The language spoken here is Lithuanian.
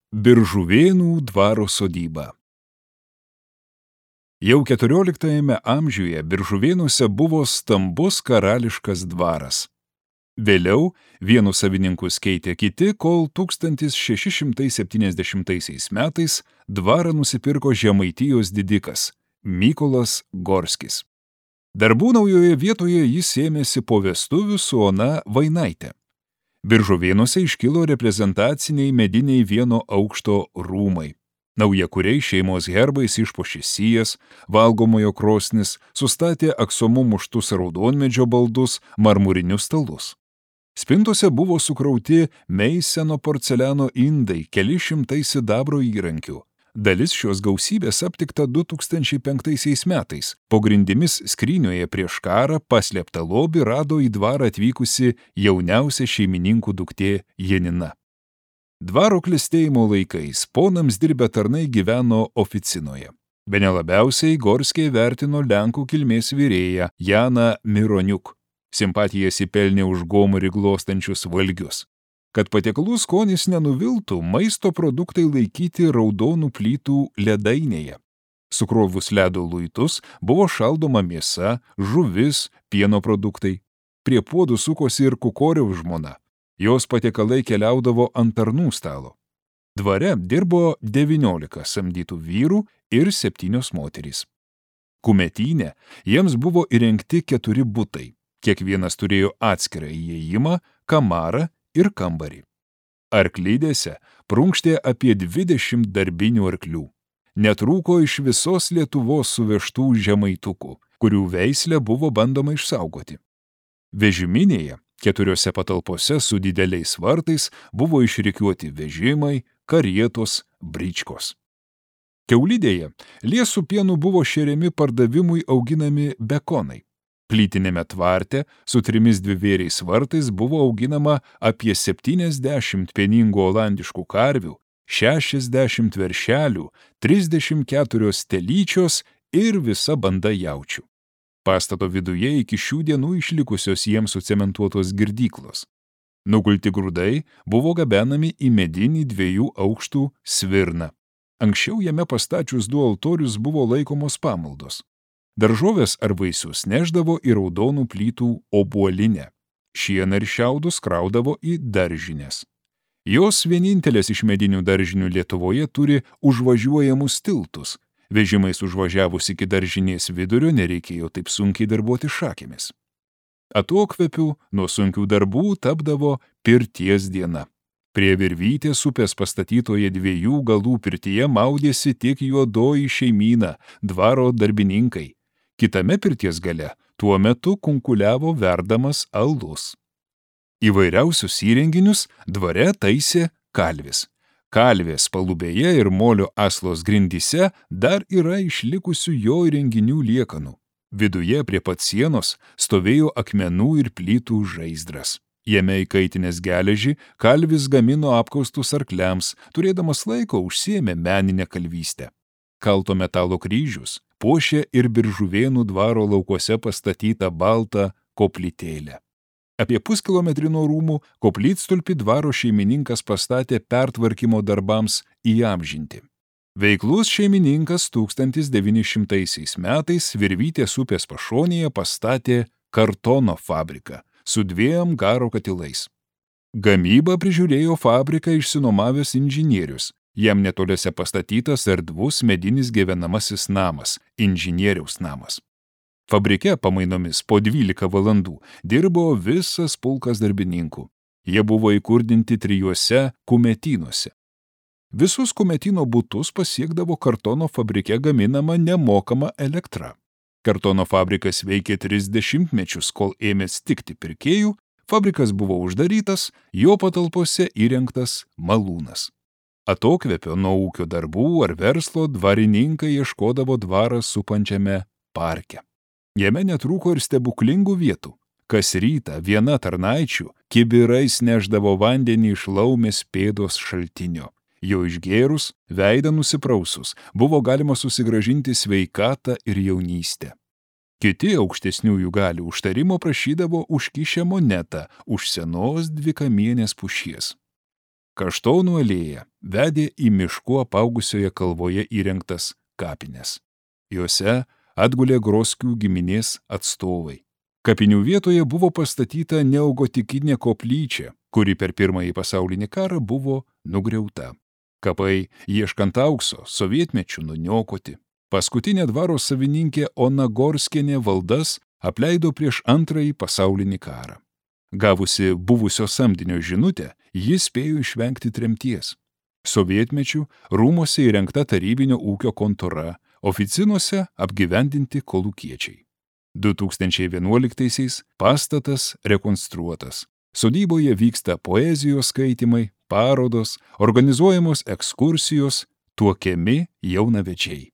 Biržuvėnų dvaro sodyba. Jau 14 amžiuje Biržuvėnuose buvo stambus karališkas dvaras. Vėliau vienus savininkus keitė kiti, kol 1670 metais dvarą nusipirko Žemaitijos didikas Mykolas Gorskis. Darbų naujoje vietoje jis ėmėsi po vestuvių su Ona Vainaite. Biržuvėnuose iškilo reprezentaciniai mediniai vieno aukšto rūmai. Naujakuriai šeimos herbais išpuošė sijas, valgomojo krosnis, sustatė aksomu muštus raudonmedžio baldus, marmurinius stalus. Spintose buvo sukrauti Meiseno porceliano indai, keli šimtai sidabro įrankių. Dalis šios gausybės aptikta 2005 metais. Po grindimis skrynioje prieš karą paslėptą lobį rado į dvarą atvykusi jauniausia šeimininkų duktė Janina. Dvaro klestėjimo laikais ponams dirbę tarnai gyveno oficinoje. Bene labiausiai Gorskiai vertino lenkų kilmės virėją Janą Mironiuk. Simpatijas įpelnė už gomurį glostančius valgius. Kad patiekalų skonis nenuviltų, maisto produktai laikyti raudonų plytų ledainėje. Sukrovus ledo luitus buvo šaldoma mėsa, žuvis, pieno produktai. Prie puodų sukosi ir Kukoriaus žmona. Jos patiekalai keliaudavo ant tarnų stalo. Dvare dirbo 19 samdytų vyrų ir 7 moterys. Kumetyne jiems buvo įrengti 4 butai. Kiekvienas turėjo atskirą įėjimą, kamarą ir kambarį. Arklidėse prunkštė apie 20 darbinių arklių. Netrūko iš visos Lietuvos suvežtų žemaitukų, kurių veislę buvo bandoma išsaugoti. Vežiminėje 4 patalpose su dideliais vartais buvo išrikiuoti vežimai, karietos, bričkos. Kiaulidėje liesų pienu buvo šeriami pardavimui auginami bekonai. Plytinėme tvarte su 3 dvivėriais vartais buvo auginama apie 70 pieningų olandiškų karvių, 60 veršelių, 34 telyčios ir visa banda jaučių. Pastato viduje iki šių dienų išlikusios jiems sucementuotos girdyklos. Nugulti grūdai buvo gabenami į medinį 2 aukštų svirną. Anksčiau jame pastačius 2 altorius buvo laikomos pamaldos. Daržovės ar vaisius neždavo į raudonų plytų obuolinę. Šieną ir šiaudus kraudavo į daržines. Jos vienintelės iš medinių daržinių Lietuvoje turi užvažiuojamus tiltus. Vežimais užvažiavus iki daržinės vidurio nereikėjo taip sunkiai darbuoti šakėmis. Atokvėpių nuo sunkių darbų tapdavo pirties diena. Prie Virvytės upės pastatytoje 2 galų pirtyje maudėsi tik juodoji šeimyna, dvaro darbininkai. Kitame pirties gale tuo metu kunkuliavo verdamas alus. Įvairiausius įrenginius dvare taisė kalvis. Kalvės palubėje ir molio aslos grindyse dar yra išlikusių jo įrenginių liekanų. Viduje prie pat sienos stovėjo akmenų ir plytų žaizdras. Jame įkaitinės geležį kalvis gamino apkaustus arkliams, turėdamas laiko užsiėmė meninę kalvystę. Kalto metalo kryžius puošė ir Biržuvėnų dvaro laukuose pastatytą baltą koplytėlę. Apie puskilometrį nuo rūmų koplytstulpį dvaro šeimininkas pastatė pertvarkymo darbams įamžinti. Veiklus šeimininkas 1900 metais Virvytės upės pašonėje pastatė kartono fabriką su 2 garo katilais. Gamybą prižiūrėjo fabriką išsinuomavęs inžinierius. Jam netoliese pastatytas erdvus medinis gyvenamasis namas, inžinieriaus namas. Fabrike pamainomis po 12 valandų dirbo visas pulkas darbininkų. Jie buvo įkurdinti 3 kumetynuose. Visus kumetyno butus pasiekdavo kartono fabrike gaminama nemokama elektra. Kartono fabrikas veikė 30 mečius, kol ėmė stigti pirkėjų, fabrikas buvo uždarytas, jo patalpose įrengtas malūnas. Atokvėpio nuo ūkio darbų ar verslo dvarininkai ieškodavo dvarą supančiame parke. Jame netrūko ir stebuklingų vietų. Kas rytą viena tarnaičių kibirais neždavo vandenį iš laumės pėdos šaltinio. Jo išgėrus, veidą nusiprausus, buvo galima susigrąžinti sveikatą ir jaunystę. Kiti aukštesniųjų galių užtarimo prašydavo užkišę monetą už senos dvikamienės pušies. Kaštonų alėja vedė į mišku apaugusioje kalvoje įrengtas kapines. Juose atgulė Groskių giminės atstovai. Kapinių vietoje buvo pastatyta neogotikinė koplyčia, kuri per Pirmąjį pasaulinį karą buvo nugriauta. Kapai, ieškant aukso, sovietmečiu nuniokoti. Paskutinė dvaro savininkė Ona Gorskienė valdas apleido prieš Antrąjį pasaulinį karą. Gavusi buvusio samdinio žinutę, jis spėjo išvengti tremties. Sovietmečiu rūmose įrengta tarybinio ūkio kontora, oficinuose apgyvendinti kolūkiečiai. 2011-aisiais pastatas rekonstruotas. Sodyboje vyksta poezijos skaitymai, parodos, organizuojamos ekskursijos, tuokiami jaunavedžiai.